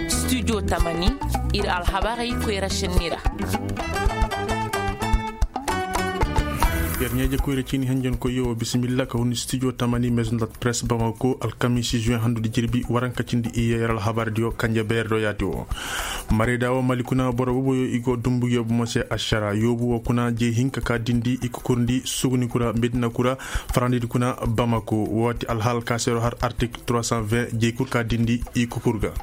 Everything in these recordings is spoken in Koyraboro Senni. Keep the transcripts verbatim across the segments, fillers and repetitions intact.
Studio tamani, ir alhabarey koyra senni ra. Yer ɲeeje koyra ciini henjenkoyyo wo bisimilla ka hun studio tamani maison de presse bamako alkamisi juin handudi jirbi waranka cindi iyye yer alhabardiyo kanje beerdo yaati wo. Marayda wo mali kuna boro boboyo i go dumbugiyo bomo se ašara yoobu wo kuna jey hinka ka dindi i kukurndi suguni kura medina kura farandidi kuna bamako. Wo ti alhaal ka seero har article trois cent vingt jey kul ka dindi i kukur ga.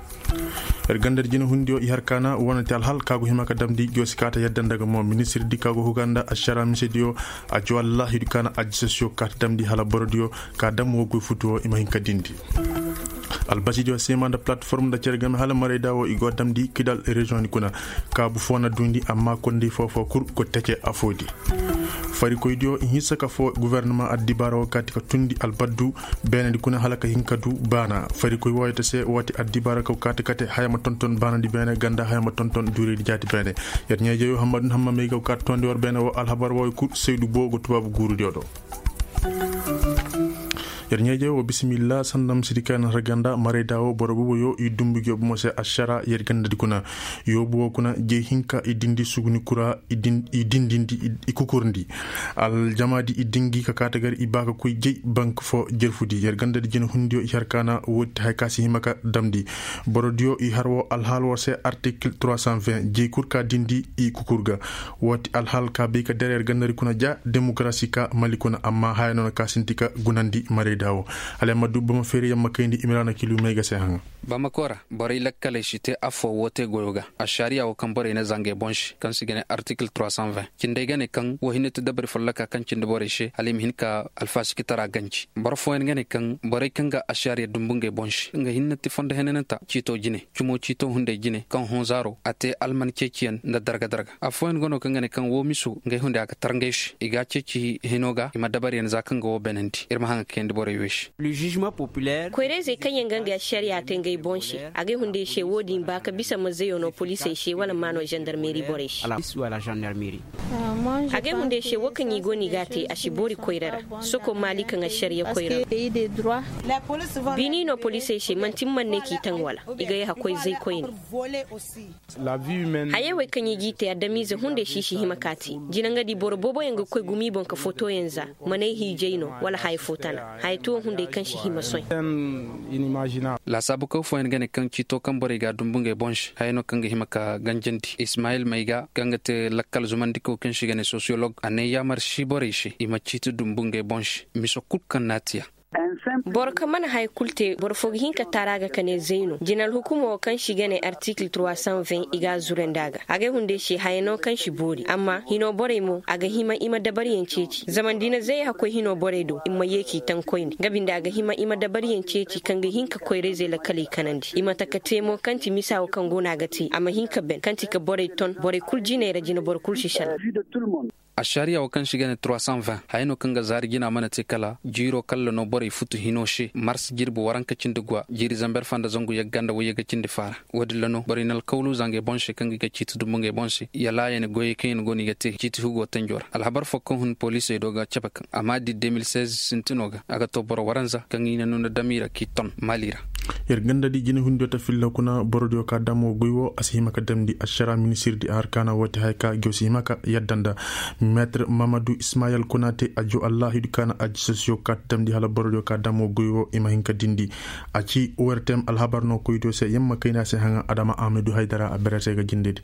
Yer gandadi jinehundiyo i har kaana wane ti alhaal ka go hima ka damndi joosi ka ta yadda nda ga mo ministirdi ka go huga nda ašara misediyo. A joowallahi du kaana ajisasiyo ka ta damndi hala borodiyo ka dam wo goy futu wo i ma hin ka dindi. Albasidiyo seema nda plateforme nda cere game hala marayda wo i go damndi kidal reziyoŋ ni kuna. Kaabu foo na duundi amma konday foo foo kul go tece afoo di. Farikoydiyo i hinsa ka foo gofornama addibaara wo kaati ka tundi albaddu beenedi kuna hala ka hin ka du baana farikoy wooyo ta se woo ti addibaara kaw kaati kate haya ma tonton baanadi beene ganda haya ma tonton duuraydi jaati beene. Yer ɲeejeyo hammadun hamma may ga kaati tondi war beene wo alhabar wooyo kul saydu boo go tubaabu guurudiyo do. Yer ɲeejey wo bisimilla sanda misidi kaŋ yaŋ na har ganda marayda wo boro boboyo i dumbugiyo bomo se ašara yer gandadi kuna. Yoobu wo kuna jey hinka i dindi suguni kura i dindindi i kukurndi. Aljamaadi i dingi ka kaata gar i ba ka koy jey bank fo jerfudi yer gandadi jinehundiyo i har kaana woodi ti haya ka si hima ka damndi. Borodiyo i har wo alhaal wo se article trois cent vingt jey kul ka dindi i kukur ga. Woo ti alhaal ka bay ka der yer gandadi kuna ja demokarasi ka mali kuna amma haya no na ka sinti ka gunandi marayda wo. Hala yer ma du bama feeri yer ma kayndi imiraana kilu may ga se haŋa. Bamako ra borey lakkaley si te affoo woo te goyo ga. Ašariya woo kaŋ borey na zanga i boŋ se kaŋ se i ga ne article trois cent vingt cindey ga ne kaŋ woo hinne ti dabari folloka kaŋ cindi borey se hala i ma hin ka alfasikitara ganji boro fooyaŋ ga ne kaŋ borey kaŋ ga ašariya dumbu ngey boŋ se nga hinne ti fondo henananta ciito jine cumo ciito hunday jine kaŋ honzaaro a te alman ceeciyaŋ nda darga darga. Affooyaŋ go no kaŋ ga ne kaŋ woo miso ngey hunday a ga tar ngey se i ga a ceeci hino ga i ma dabariyaŋ za kaŋ ga woo beenandi ir ma haŋa kayandi borey wey se. Koyrayzey kaŋ yaŋ ga ngey ašariya te ngey boŋ se a gay hunday se woo din ba ka bisa ma zeyo no poliisey se wala ma no zandarmeri borey se. A gay hunday se woo kaŋ i go no i ga a te a si boori koyra ra. Soko maali kaŋ ašariya koyra ra. Biini no poliisey se manti man ne k'i taŋ wala i ga yaha koy zay koyne. Hayey wey kaŋ i g'i te adamize hunday si i si hima ka te. Jina nga di boro booboyaŋ ga koy gumi boŋ ka fotoyaŋ za manay hiijay no wala haya fo tana haya tuwo hunday kaŋ si hima soy. Laasaabu kaw fooyaŋ ga ne kaŋ ciito kaŋ borey ga a dumbu ngey boŋ se haya no kaŋ ga hima ka ganjandi ismayil may ga kaŋ ga te lakkal zumandikaw kaŋ se i ga ne sosiyolog a ne yaamar si borey se i ma ciiti dumbu ngey boŋ se miso kul kaŋ naatiya. Boro kaŋ mana haya kul te boro fo ga hin ka taara ga ka ne zay no jina alhukumo wo kaŋ se i ga ne artikil trois cent vingt i ga a zurandi a ga a ga ay hunday se haya no kaŋ si boori amma hino borey mo a ga hima i ma dabariyaŋ ceeci zama nda i na zay hakoy hino borey do i ma ye k'i taŋ koyne nga binde a ga hima i ma dabariyaŋ ceeci kaŋ ga hin ka koyrayzey lakkaley kanandi i ma taka te mo kaŋ ti misa wo kaŋ go no a ga te a ma hin ka ben kaŋ ti ka borey ton borey kul jiney ra jina boro kul si sala. Ašariya wo kaŋ se i ga ne trois cent vingt haya no kaŋ ga zaari jina mana te kala jiiro kalla no borey futu hino se mars jirbi waranka cindi guwa jiiri zamber fanda zangu yagga nda wayyaga cindi faara. Wo-din ra no borey na alkawlu za ngey boŋ se kaŋ ga i ga ciiti dumbu ngey boŋ se yalaayan goyey kaŋ yaŋ go no i ga te ciiti hugo tanjo ra alhabar fo kaŋ hun poliisey do ga cabe kaŋ a ma di deux mille seize sintino ga a ga to boro waranza kaŋ i na nuna dam i ra k'i ton maali ra. Yer ganda di jinahundiyo ta filla kuna borodiyo ka damo goy wo a si hima ka damndi ašara ministirdi a har kaana wo ti haya ka go si hima ka yadda nda meetir mamadu ismayel kuna te a joo allaahidu kaana ajisasiyo ka ta damndi hala borodiyo ka damo goy wo i ma hin ka dindi. A ci ortem alhabar no koydiyo se yamma kayna se haŋa adama ahmadu haydara a berete ga jindedi.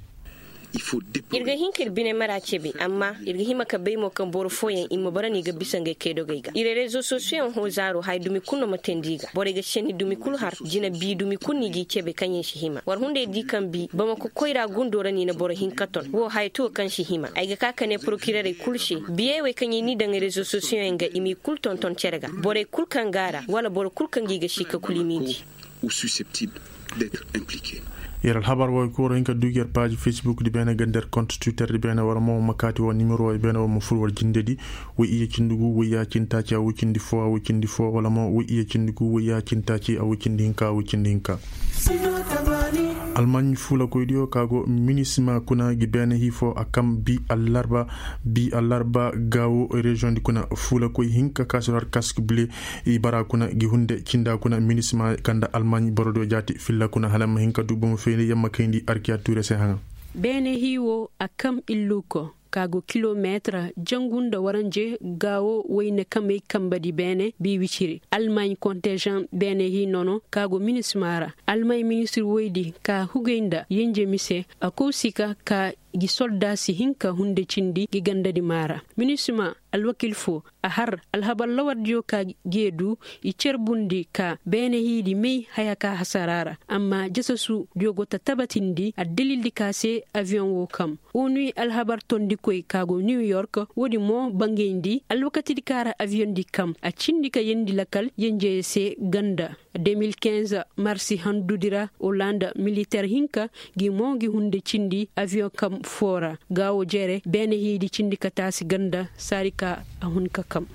Ir ga hin ka ir bine mara cebe amma ir ga hima ka bay mo kaŋ boro fooyaŋ i ma bara no i ga bisa ngey kaydogey ga ir rezo sosiyoŋ hoo zaaro haya dumi kul no ma teendi i ga borey ga senni dumi kul har jina bii dumi kul no i g'i cebe kaŋ yaŋ si hima war hunday di kaŋ bii bamako koyra gundo ra no i na boro hin ka ton woo haya tuwo kaŋ si hima ay ga ka ka ne porokirerey kul se biyey wey kaŋ i n'i daŋ rezo sosiyoŋ yaŋ ga i m'i kul tonton cere ga borey kul kaŋ go a ra wala boro kul kaŋ ga i ga si ka kul i m'i di. Yer alhabar wo ay kooro hin ka duugi yer paaji facebook di beene ganda yer kont twitter di beene war mo ma kaati wo nimero wo ay beene war ma fur war jinde di. Woy iyye cindi gu woy ya cindi taaci a woy cindi fo a woy cindi fo wala mo woy iyye cindi gu woy ya cindi taaci a woy cindi hinka a woy cindi hinka. Almaaɲi fuulakoydiyo ka go minisima kuna gi beene hii fo a kam bi allarba. Bi allarba gaawo reziyoŋdi kuna fuulakoy hinka ka si har kask bile. I bara kuna gi hunde cinda kuna minisima kanda almaaɲi borodiyo jaati filla kuna hala ma hinka du bomo feeni yamma kayndi arkiya tuure se haŋa. Beene hii wo a kam illuko ka go kilomeetir jangu nda waranje gaawo wayne kamey kambadi beene bi wiciri almaaɲi kontežan beene hii nono ka go minisima ra. Almaaɲi ministir woydi ka hugay nda yenje mise a kow si ka ka gi solda si hinka hunde cindi gi gandadi maa ra. Minisima alwakil fo a har alhabar lawardiyo ka gee du i cerbundi ka beene hiidi may haya ka hasara ra. Amma jasasudiyo go ta tabatindi addalildi ka se aviyoŋ wo kam. Onuy alhabar tondikoy ka go niw york woodin mo bangayndi alwakatidi ka ra aviyoŋdi kam a cindi ka yeendi lakal yenjeye se ganda. De mil kinz marsi handudi ra olanda militer hinka gi mo gi hunde cindi aviyoŋ kam foo ra. Gaawo jere beene hiidi cindi ka taasi ganda saari ka a hun ka kam.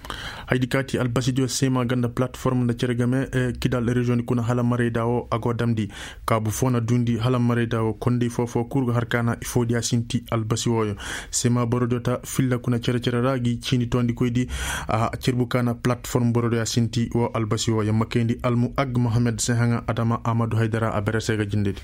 Haydi kaati albasidiyo seema ganda platform nda cere game kidal reziyoŋdi kuna hala marayda wo a go damndi. Kaabu foo na duundi hala marayda wo konday foo foo kul ga har ka na ifoodiya sinti albasi wooyo. Seema borodiyo ta filla kuna cere cere ra gi ciini toondikoydi. A cerbu ka na platform borodiyo a sinti wo albasi wooyo ma kayndi almu ag mohammed se haŋa adama amadu haydara a bere se ga jindedi.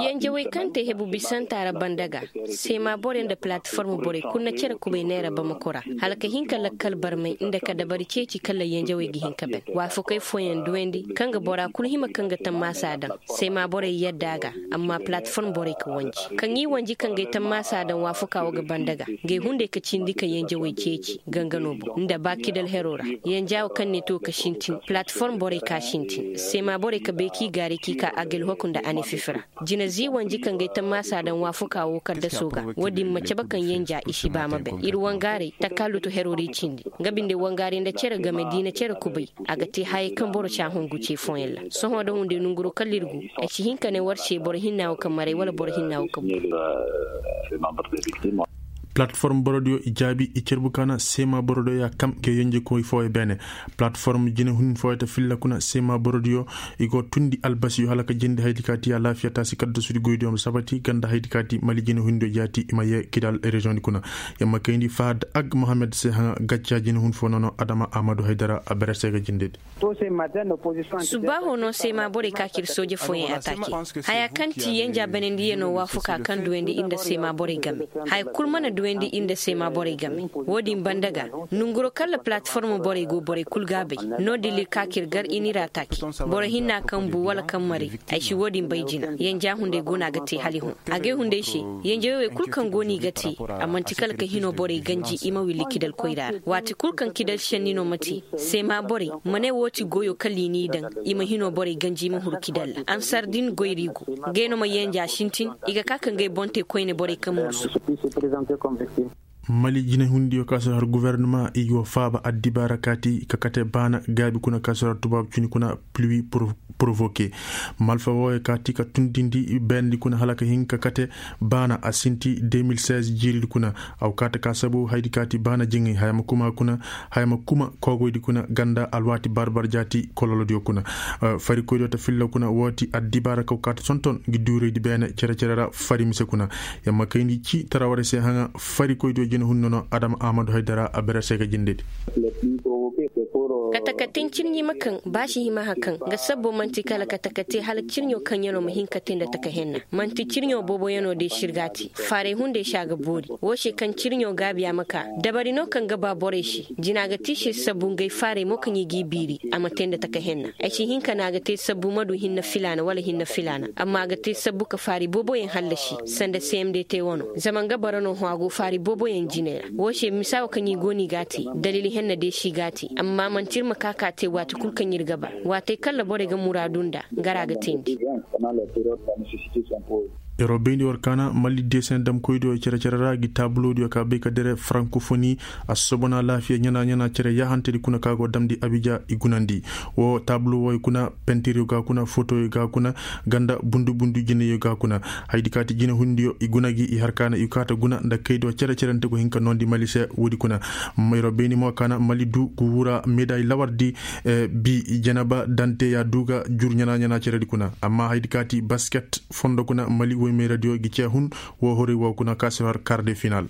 Yenjewey kaŋ te hebu bisanta ra banda ga seema borey nda platform borey kulu na cere kubay neera bamako ra hala ka hin ka lakkal barmay nda ka dabari ceeci kala yenjewey ga hin ka ban waafakey fooyaŋ duwandi kaŋ ga bora kulu hima kaŋ ga tammaasa daŋ. Seema borey yadda a ga amma platform borey ka wanji kaŋ i wanji kaŋ ga ay tammaasa daŋ waafaka wo ga banda ga. Nga ay hunday ka cindi ka yenjewey ceeci ganga no boŋ nda ba kidal hero ra. Yenja wo kaŋ ne to ka sintin platform borey ka sintin seema borey ka bay k'i gaaray k'i ka agalhoku nda anififi ra. Jina zii wanji kaŋ ga ay tammaasa daŋ waafuka woo kaddaso ga. Woodin ma cabe kaŋ yenja i si ba ma bay ir wangaaray takaalutu herori cindi. Nga binde wangaaray nda cere game da i na cere kubay. A ga te hayey kaŋ boro si a hungu ce fooyaŋ ra sohõ nda hunday nanguroo kaŋ ir gu. Ay si hin ka ne war se boro hinna woo kaŋ maray wala boro hinna woo kaŋ buru. Palatform borodiyo i jaabi i cerbu ka na seema borodiyo ya kam ga yenjekoy fooyo beene. Palatform jinehun fooyo ta filla kuna seema borodiyo i go tundi albasiyo hala ka jindi haydi ka ti alaafiya taasi kaddasudi goydiyo ma sabati ganda haydi ka ti mali jinehundiyo jaati i ma yee kidal reziyoŋdi kuna. Yamma kayndi fahad ag mohammed se haŋa gacca jinehun foo nono adama amadu haydara a bere se ga jindedi. Subaaho no seema borey ka kir sooje fooyaŋ ataake. Haya kaŋ ti yenja banandiyanoo waafuka kaŋ duwandi ir nda seema borey game. Haya kul mana duwandi ir nda seema borey game. Woodin banda ga nanguroo kaŋ ra palatform borey go borey kul ga a bay. No-din ir ka kir gar ir n'ir ataake. Boro hinna kaŋ bu wala kaŋ maray. Ay si woodin bay jina yenja hunday go no a ga te hala i hun. A gay hunday se yenjawey wey kul kaŋ go no i ga te. A man'ti kala ka hinoo borey ganji i ma willi kidal koyra ra waati kul kaŋ kidal senni no ma te. Seema borey ma ne woo ti goyoo kala i n'i daŋ. I ma hinoo borey ganji i ma huru kidal ra ansar din goyri go. Ngey no ma yenja sintin. I ga ka ka ngey boŋ te koyne borey kaŋ mursu. Mali jinehundiyo ka si har guwernama i go faaba addibaara kaati ka kate baana gaabi kuna ka si har tubaabu cuni kuna pluwi porovoke. Malfa wooyo kaati ka tundindi beendi kuna hala ka hin ka kate baana a sinti de mil seize jiiridi kuna. Aw kaati ka sabu haydi kaati baana jiŋay haya ma kuma kuna. Haya ma kuma koogoydi kuna ganda alwaati barbar jaati kololodiyo kuna. Farikoydiyo ta filla kuna woo ti addibaara kaw kaati sonton ngi duuraydi beene cere-cere ra fari mise kuna. Yamma kayndi ci tara warey se haŋa farikoydiyo jina hunno no adama amadu haydara a bere se ga jindedi. Katakate cirɲi ma kaŋ ba si hima hã kaŋ nga sabbo man'ti kala katakate hala cirɲo kaŋ yaŋ no ma hin ka te nda taka henna. Man'ti cirɲo boobo yaŋ no day sir ga a te. Faaray hunday se a ga boori. Woo se kaŋ cirɲo gaabiya ma ka dabari no kaŋ ga ba borey se. Jina ga ti sir sabbu ngey faaray mo kaŋ i g'i biiri a ma te nda taka henna. Ay si hin ka ne a ga te sabbu ma du hinne filaana wala hinne filaana amma a ga te sabbu ka faari booboyaŋ hallasi sanda cmd te wano zama nga bara no hõ a go faari booboyaŋ jinay ra. Woo se misa wo kaŋ i go no i g'a te daliili henna day si g'a te. Amma man'ti ir ma ka ka te waati kul kaŋ ir ga ba waatey kaŋ ra borey ga muraadu nda. Nga ra ga teendi. Yeroo bayndi war kaana malli deeseŋ damkoydiyo cere-cere ra gi taabuloodiyo ka bay ka dere frankofoni. A sosobona laafiya ɲanaa ɲanaa cere yaahantedi kuna ka go damndi abija i gunandi. Woo taabulo wooyo kuna, pentiryo ga kuna, fotoyo ga kuna, ganda bundu bundu jineyo ga kuna. Haydi kaati jinehundiyo i guna gi i har kaana i kaata guna nda kaydiyo cere-cerente go hin ka noondi mali se woodi kuna. Yeroo bayndi mo kaana mali du gu wura meday lawardi. Bi jeneba dante ya du ga jur ɲanaa ɲanaa ceredi kuna amma haydi kaati basket fondo kuna mali woymeeradiyo gi cee hun. Woo hori woo kuna ka si har kar de final.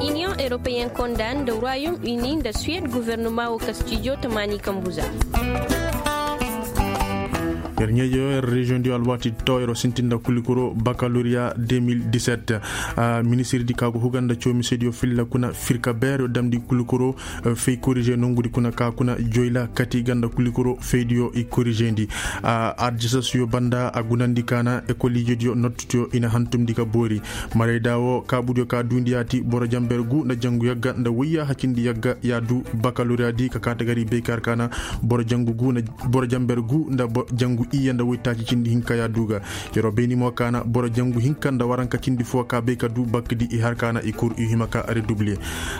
Iniyoŋ eropeyen konda nda royom uni nda suwed guvernoma woo ka studio tamaani kambu za. Yer ɲeejo yer reziyoŋ diyo alwaati to yer sintin nda kulikoro bakaloriya deux mille dix-sept. Ministirdi ka go huga nda coomisediyo filla kuna firka beer yo damndi kulikoro fey korize nongudi kuna ka kuna joyla kati ganda kulikoro feydiyo i korizeendi. Adjasasiyo banda a gunandi kaana ekoliijediyo nottutiyo i na hantumndi ka boori. Marayda woo kaabudiyo ka duundi yaati boro jamber gu nda jangu yagga nda woyya hacindi yagga ya du bakaloriyadi ka kaata gari bay ka har kaana boro jangu gu nda boro jamber gu nda jangu iyye nda woytaaci cindi hinka ya du ga. Yeroo bayni mo kaana boro jangu hinka nda waranka cindi foo ka bay ka du bakdi i har kaana i kur i hima ka redubli.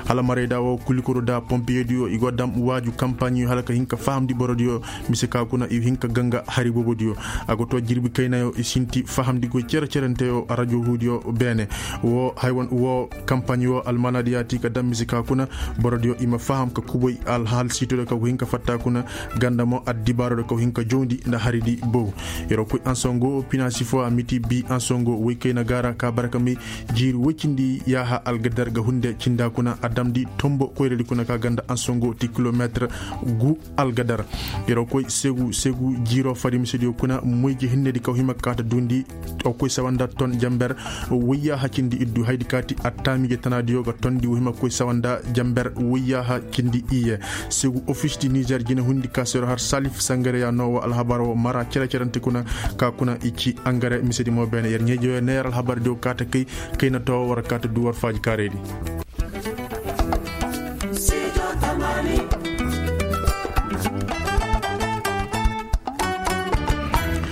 Hala marayda woo kulikoro da pompiyediyo i go dam waaju kampaaɲiyo hala ka hin ka fahamndi borodiyo. Mise ka kuna i hin ka ganga hari boobodiyo. A go too jirbi kaynayo i sinti fahamndi goy cere-cerenteyo rajo huudiyo beene. Woo kampaaɲi woo almaanaadi yaati ka dam mise ka kuna borodiyo i ma faham ka kuboy alhaalsiitodiyo ka go hin ka fatta kuna. Ganda mo addibaarodiyo ka go hin ka jawndi nda haridi bow. Yeroo koy ansongo pinaasi foo a miti bii ansongo woy kayna gaara ka bara ka may jiiri woy cindi yaaha algadar ga hunde cinda kuna a damndi tombo koyradi kuna ka ganda ansongo ti kilomeetir gu algadar. Yeroo koy segu segu jiiroo farimisediyo kuna moyji hinnedi kaw hima kaata duundi. Aw koy sawa nda ton jamber woy yaaha cindi iddu haydi kaati attaamiije tanaadiyo ga tondi woy hima koy sawa nda jamber woy yaaha cindi iye. Segu ofis di nizer jine hundi ka sero har salif sangare ya noo woo alhabar woo mara cere-cerante kuna ka kuna i ci angare misedi mo beene yer ɲeejoyo ne yer alhabar diyo kaata kay kayna too war kaata du war faaji kaareedi.